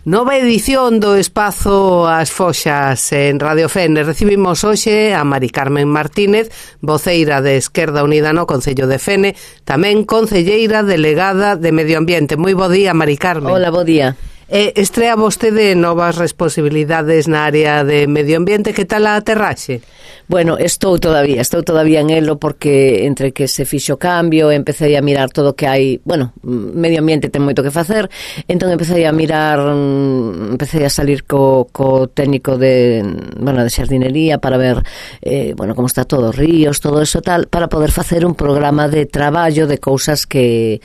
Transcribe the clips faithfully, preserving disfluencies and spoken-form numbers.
Nova edición do Espazo As Foxas en Radio Fene. Recibimos hoxe a Mari Carmen Martínez, voceira de Esquerda Unida no Concello de Fene, tamén concelleira delegada de Medio Ambiente. Moi bo día, Mari Carmen. Hola, bo día. Eh, estrea vostede novas responsabilidades na área de Medio Ambiente. Que tal a aterraxe? Bueno, estou todavía, estou todavía en elo porque entre que se fixo cambio, empecé a mirar todo o que hai, bueno, Medio Ambiente ten moito que facer, entón empecé a mirar, empecé a salir co, co técnico de, bueno, de xardinería para ver, eh, bueno, como está todo, ríos, todo eso tal, para poder facer un programa de traballo de cousas que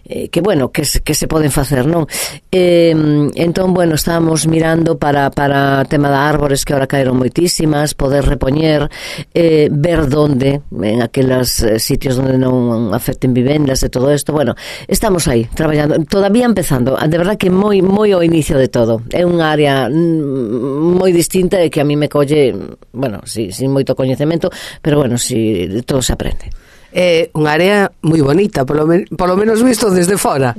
Eh, que bueno, que, que se poden facer, non? Eh, entón, bueno, estábamos mirando para para tema de árbores que ahora caeron moitísimas, poder repoñer, eh, ver donde, en aqueles eh, sitios onde non afecten vivendas e todo isto. Bueno, estamos aí, traballando, todavía empezando, de verdad que moi moi ao inicio de todo. É unha área moi distinta e que a mí me colle, bueno, sí, sin moito coñecemento, pero bueno, si sí, todo se aprende. É unha área moi bonita, polo, men polo menos visto desde fora.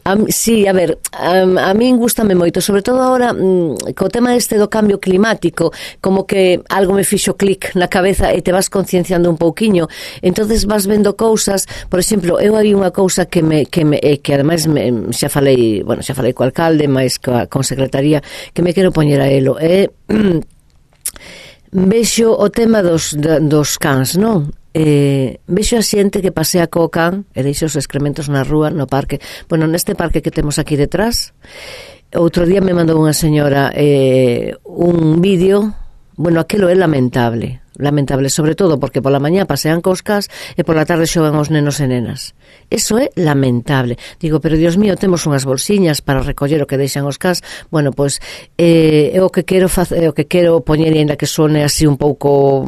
A, sí, a ver, a, a min gustame moito, sobre todo agora mmm, co tema este do cambio climático, como que algo me fixo clic na cabeza e te vas concienciando un pouquiño, entonces vas vendo cousas. Por exemplo, eu hai unha cousa que me que me eh, que ademais me, xa falei, bueno, xa falei co alcalde, máis coa con secretaría, que me quero poñer a elo. É eh, vexo o tema dos dos cans, non? Eh, vexo a xente que pasea co can e deixa os excrementos na rúa, no parque. Bueno, neste parque que temos aquí detrás, outro día me mandou unha señora eh, un vídeo. Bueno, aquilo é lamentable, lamentable, sobre todo porque pola mañá pasean cos cas e pola tarde xogan os nenos e nenas. Eso é lamentable. Digo, pero Dios mío, temos unhas bolsiñas para recoller o que deixan os cas. Bueno, pois eh, é o que quero facer, o que quero poñer, ainda que sone así un pouco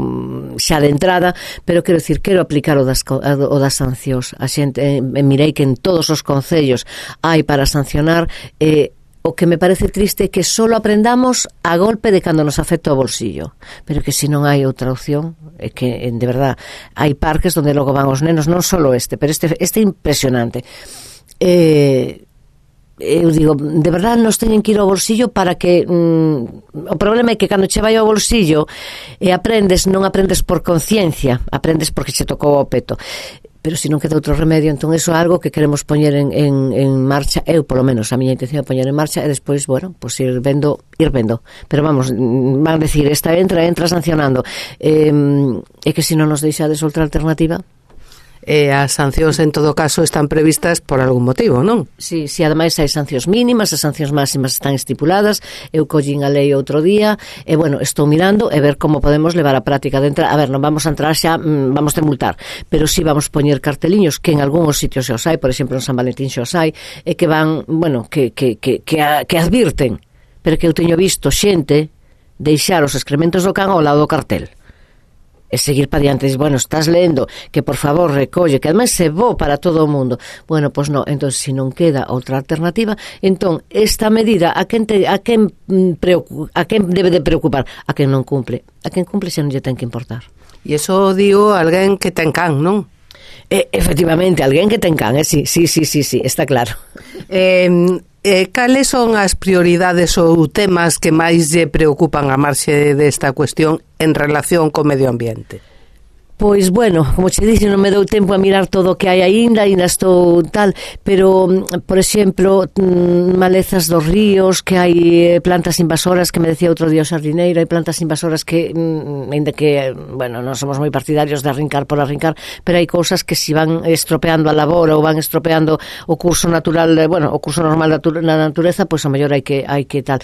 xa de entrada, pero quero dicir, quero aplicar o das, o das sancións. A xente, eh, mirei que en todos os concellos hai para sancionar. eh, O que me parece triste é que só aprendamos a golpe de cando nos afecta o bolsillo, pero que se non hai outra opción, é que, de verdad, hai parques onde logo van os nenos, non só este, pero este este é impresionante. Eh, eu digo, de verdad nos teñen que ir ao bolsillo para que mm, o problema é que cando che vai ao bolsillo e aprendes, non aprendes por conciencia, aprendes porque che tocou o peto. Pero se non queda outro remedio, entón iso é algo que queremos poñer en, en, en marcha. Eu, polo menos, a miña intención é poñer en marcha e despois, bueno, pues ir vendo, ir vendo. Pero vamos, van a decir, esta entra, entra sancionando. Eh, é que se non nos deixades outra alternativa. E as sancións, en todo caso, están previstas por algún motivo, non? Sí, sí, ademais hai sancións mínimas, as sancións máximas están estipuladas. Eu collín a lei outro día e, bueno, estou mirando e ver como podemos levar a práctica de entrar. A ver, non vamos a entrar xa, vamos a multar, pero sí vamos poñer carteliños que en algúns sitios xa os hai, por exemplo, en San Valentín xa os hai, e que van, bueno, que, que, que, que, a, que advirten, pero que eu teño visto xente deixar os excrementos do can ao lado do cartel. E seguir para diante, bueno, estás lendo que por favor recolle, que además se bo para todo o mundo. Bueno, pois pues non, entón se non queda outra alternativa, entón esta medida a quen te, a quen preocupa, a quen debe de preocupar, a quen non cumple. A quen cumple xa non lle ten que importar. E iso digo alguén que ten can, non? E, efectivamente, alguén que ten can, eh? sí, sí, sí, sí, sí, está claro. Eh, eh, cales son as prioridades ou temas que máis lle preocupan a marxe desta cuestión en relación co medio ambiente? Pois, bueno, como che dixen, non me dou tempo a mirar todo o que hai aínda, aínda estou tal, pero, por exemplo, malezas dos ríos, que hai plantas invasoras, que me decía outro día o xardineiro, hai plantas invasoras que, aínda que, bueno, non somos moi partidarios de arrincar por arrincar, pero hai cousas que si van estropeando a labor ou van estropeando o curso natural, bueno, o curso normal da natureza, pois a mellor hai que hai que tal.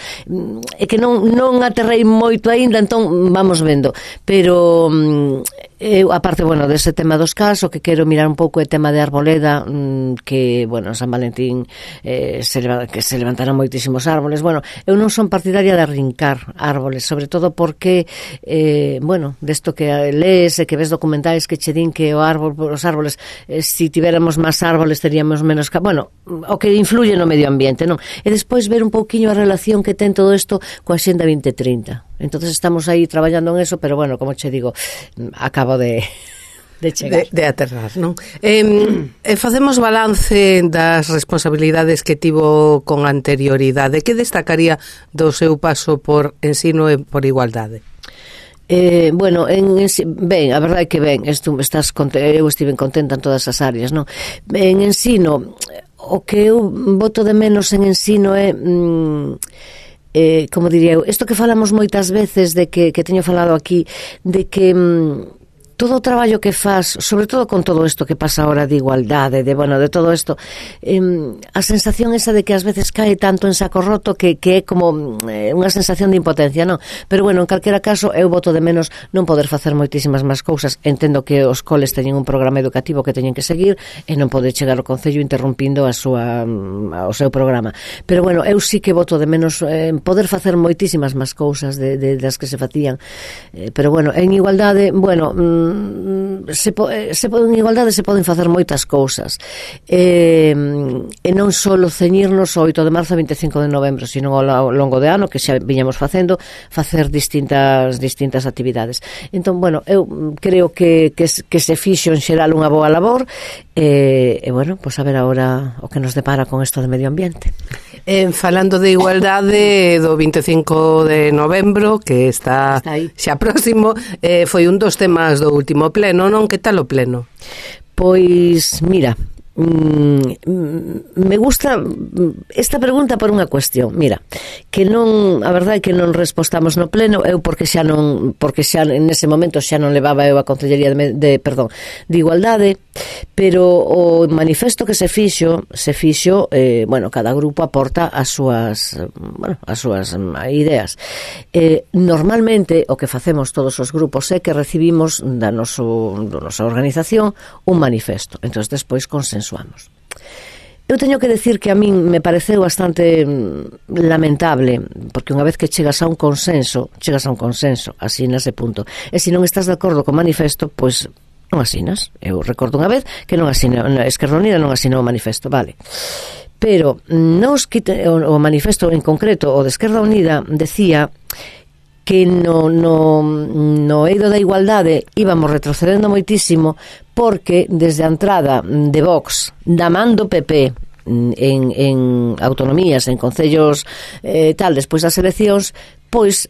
É que non, non aterrei moito aínda, entón vamos vendo, pero eu, aparte, bueno, dese tema dos cas, o que quero mirar un pouco é tema de arboleda, mmm, que, bueno, en San Valentín eh, se, que se levantaron moitísimos árboles. Bueno, eu non son partidaria de arrincar árboles, sobre todo porque, eh, bueno, desto que lees e que ves documentais que che din que o árbol, os árboles, eh, si tivéramos máis árboles teríamos menos... Bueno, o que influye no medio ambiente, non? E despois ver un pouquiño a relación que ten todo isto coa Axenda vinte trinta. Entonces estamos aí traballando en eso, pero bueno, como che digo, acabo de de chegar. De, de aterrar, non? Eh, eh, facemos balance das responsabilidades que tivo con anterioridade. Que destacaría do seu paso por ensino e por igualdade? Eh, bueno, en, en, ben, a verdade é que ben, estu, estás eu estive contenta en todas as áreas, non? En ensino, o que eu boto de menos en ensino é mm, eh, como diría eu, isto que falamos moitas veces de que, que teño falado aquí, de que mm, todo o traballo que faz, sobre todo con todo isto que pasa ahora de igualdade, de, bueno, de todo isto, eh, a sensación esa de que ás veces cae tanto en saco roto que, que é como eh, unha sensación de impotencia, non? Pero bueno, en calquera caso, eu boto de menos non poder facer moitísimas máis cousas. Entendo que os coles teñen un programa educativo que teñen que seguir e non pode chegar ao Concello interrompindo a súa, o seu programa. Pero bueno, eu sí que boto de menos eh, poder facer moitísimas máis cousas de, de, das que se facían. Eh, pero bueno, en igualdade, bueno, se, se en igualdade se poden facer moitas cousas, eh, e non só ceñirnos ao oito de marzo e vinte e cinco de novembro, sino ao longo de ano, que xa viñamos facendo, facer distintas distintas actividades. Entón, bueno, eu creo que, que, que se fixo en xeral unha boa labor, e, e bueno, pois a ver agora o que nos depara con isto de medio ambiente. Eh, falando de igualdade do vinte e cinco de novembro, que está, está xa próximo, eh, foi un dos temas do último pleno, non? Que tal o pleno? Pois, mira, mm, me gusta esta pregunta por unha cuestión. Mira, que non, a verdade é que non respostamos no pleno, eu porque xa non, porque xa nese momento xa non levaba eu a Concellería de, de perdón, de Igualdade, pero o manifesto que se fixo, se fixo, eh, bueno, cada grupo aporta as súas, bueno, as súas ideas. Eh, normalmente o que facemos todos os grupos é que recibimos da noso, da nosa organización un manifesto. Entón, despois consensuamos. Eu teño que decir que a min me pareceu bastante lamentable, porque unha vez que chegas a un consenso, chegas a un consenso, asinas e punto. E se non estás de acordo co manifesto, pois non asinas. Eu recordo unha vez que non asina, Esquerda Unida non asinou o manifesto, vale. Pero nos quite, o, o manifesto en concreto, o de Esquerda Unida, decía que no, no, no eido da igualdade íbamos retrocedendo moitísimo porque desde a entrada de Vox da man do P P en, en autonomías, en concellos eh, tal, despois das eleccións, pois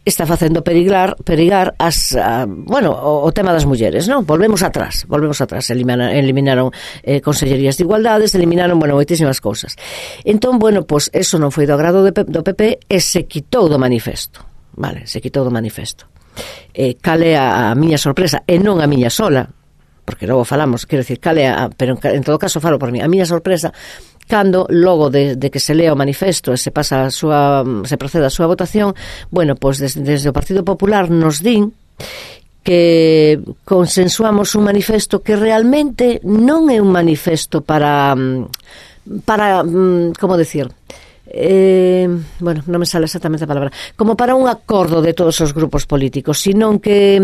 está facendo perigar, perigar as, a, bueno, o, o tema das mulleres, non? Volvemos atrás, volvemos atrás, eliminaron, eliminaron eh, consellerías de igualdades, eliminaron, bueno, moitísimas cousas. Entón, bueno, pois eso non foi do agrado de, do P P e se quitou do manifesto. Vale, se quitou do manifesto. Eh, cale a, a miña sorpresa, e non a miña sola, porque logo falamos, quero dicir, cale a, pero en, en todo caso falo por mí, a miña sorpresa, cando logo de, de que se lea o manifesto e se pasa a súa, se procede a súa votación, bueno, pois pues desde, desde o Partido Popular nos din que consensuamos un manifesto que realmente non é un manifesto para, para, como decir... Eh, bueno, non me sale exactamente a palabra, como para un acordo de todos os grupos políticos, sino que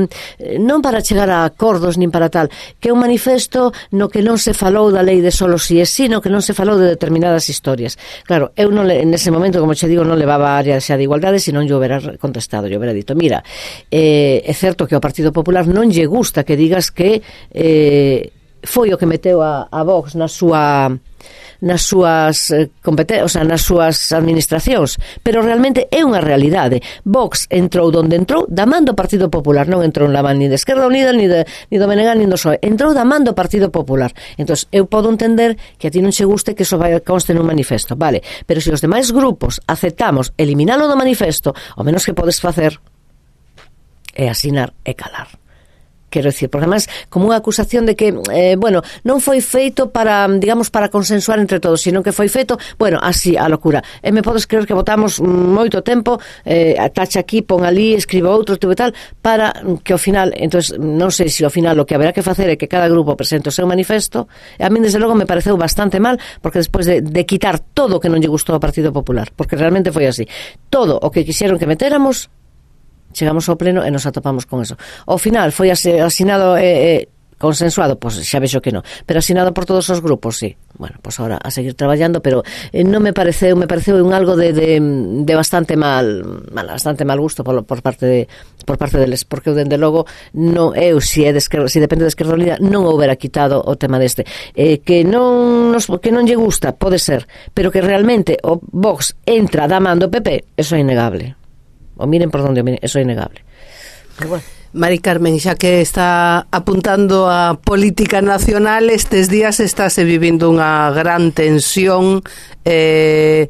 non para chegar a acordos nin para tal, que é un manifesto no que non se falou da lei de solo si e si, no que non se falou de determinadas historias. Claro, eu non, en ese momento, como che digo, non levaba a área xa de igualdade, senón yo hubiera contestado, yo hubiera dito, mira, eh, é certo que ao Partido Popular non lle gusta que digas que eh, foi o que meteu a, a Vox na súa nas súas eh, competen- o sea, nas súas administracións, pero realmente é unha realidade. Vox entrou donde entrou da man do Partido Popular, non entrou na man ni de Esquerda Unida, ni, de, ni do Menegal, ni do P S O E, entrou da man do Partido Popular. Entón, eu podo entender que a ti non che guste que iso vai conste nun manifesto, vale, pero se os demais grupos aceptamos eliminalo do manifesto, o menos que podes facer é asinar e calar. Quero dicir, porque además como unha acusación de que, eh, bueno, non foi feito para, digamos, para consensuar entre todos, sino que foi feito, bueno, así, a locura. E me podes creer que votamos moito tempo, eh, tacha aquí, pon ali, escribo outro, tipo e tal, para que ao final, entonces non sei se ao final o que haberá que facer é que cada grupo presente o seu manifesto, e a mí desde logo me pareceu bastante mal, porque despois de, de quitar todo o que non lle gustou ao Partido Popular, porque realmente foi así, todo o que quixeron que metéramos, chegamos ao pleno e nos atopamos con eso. Ao final foi asinado eh, eh, consensuado, pois xa vexo que non, pero asinado por todos os grupos, sí. Bueno, pois agora a seguir traballando, pero eh, non me pareceu, me pareceu un algo de, de, de bastante mal, mal, bastante mal gusto por, por parte de por parte deles, porque eu dende logo non eu si é de esquerda, si depende de Esquerda Unida, non houbera quitado o tema deste. Eh, que non nos, que non lle gusta, pode ser, pero que realmente o Vox entra da man do P P, eso é innegable. O miren por onde o miren, eso é innegable. Pero bueno. Mari Carmen, xa que está apuntando a política nacional, estes días estáse vivindo unha gran tensión eh,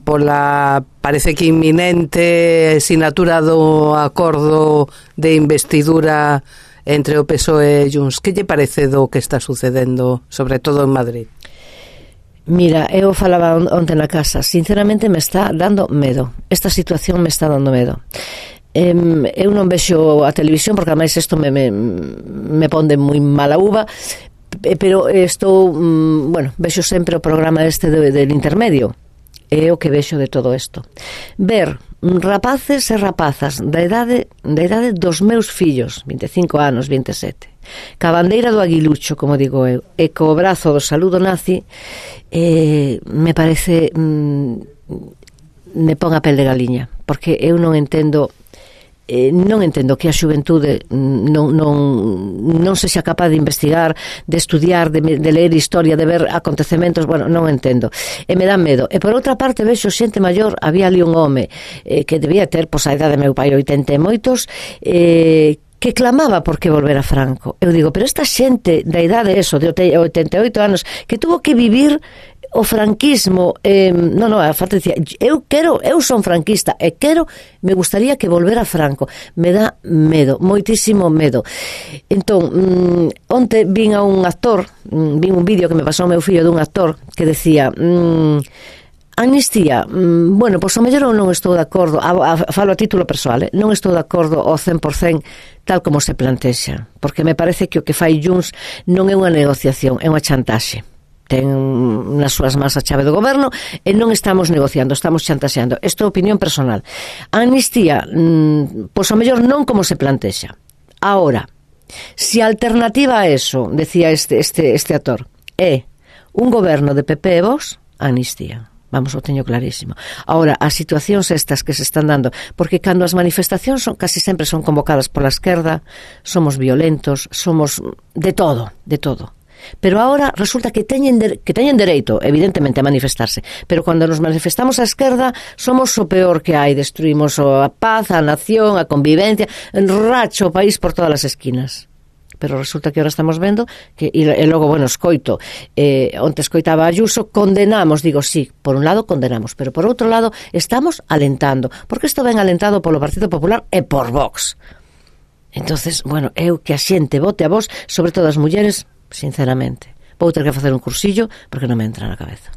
pola, parece que inminente sinatura do acordo de investidura entre o P S O E e Junts. Que lle parece do que está sucedendo, sobre todo en Madrid? Mira, eu falaba onte na casa, sinceramente me está dando medo. Esta situación me está dando medo. Eh, eu non vexo a televisión porque ademais isto me, me, me pon de moi mala uva, pero estou, bueno, vexo sempre o programa este de, del intermedio, é o que vexo de todo isto. Ver rapaces e rapazas da idade, da idade dos meus fillos, vinte e cinco anos, vinte e sete, ca bandeira do aguilucho, como digo eu, e co brazo do saludo nazi, eh, me parece mm, me pon a pel de galiña, porque eu non entendo Eh, non entendo que a xuventude non, non, non se xa capaz de investigar, de estudiar, de, de ler historia, de ver acontecementos, bueno, non entendo, e me dá medo. E por outra parte vexo xente maior, había ali un home eh, que debía ter, pois a idade de meu pai, oitenta e moitos, eh, que clamaba por que volver a Franco. Eu digo, pero esta xente da idade eso, de oitenta e oito anos, que tuvo que vivir o franquismo, eh, non, non, a falta dicía, eu quero, eu son franquista e quero, me gustaría que volver a Franco. Me dá medo, moitísimo medo. Entón, mm, onte vin a un actor, mm, vin un vídeo que me pasou o meu fillo dun actor que decía, mm, amnistía, mm, bueno, pois o mellor eu non estou de acordo, a, a, falo a título persoal, eh? non estou de acordo ao cen por cento tal como se plantexa, porque me parece que o que fai Junts non é unha negociación, é unha chantaxe. Ten nas súas mans a chave do goberno e non estamos negociando, estamos chantaxeando. Isto é opinión personal. A amnistía, mmm, pois ao mellor non como se plantexa. Ahora, se a alternativa a eso, decía este, este, este actor, é un goberno de P P e Vox, amnistía. Vamos, o teño clarísimo. Ahora, as situacións estas que se están dando, porque cando as manifestacións son, casi sempre son convocadas pola esquerda, somos violentos, somos de todo, de todo. Pero ahora resulta que teñen, de, que teñen dereito, evidentemente, a manifestarse, pero cando nos manifestamos a esquerda somos o peor que hai, destruímos a paz, a nación, a convivencia, enracho o país por todas as esquinas. Pero resulta que ahora estamos vendo que, e, e logo, bueno, escoito eh, onte escoitaba a Ayuso, condenamos, digo, sí, por un lado condenamos, pero por outro lado estamos alentando, porque isto ven alentado polo Partido Popular e por Vox. Entonces, bueno, eu que a xente vote a Vox, sobre todo as mulleres, sinceramente, vou ter que facer un cursillo porque non me entra na cabeza.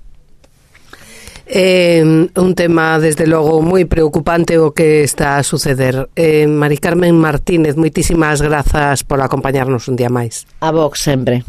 Eh, un tema, desde logo, moi preocupante o que está a suceder. eh, Mari Carmen Martínez, moitísimas grazas por acompañarnos un día máis. A Vox sempre.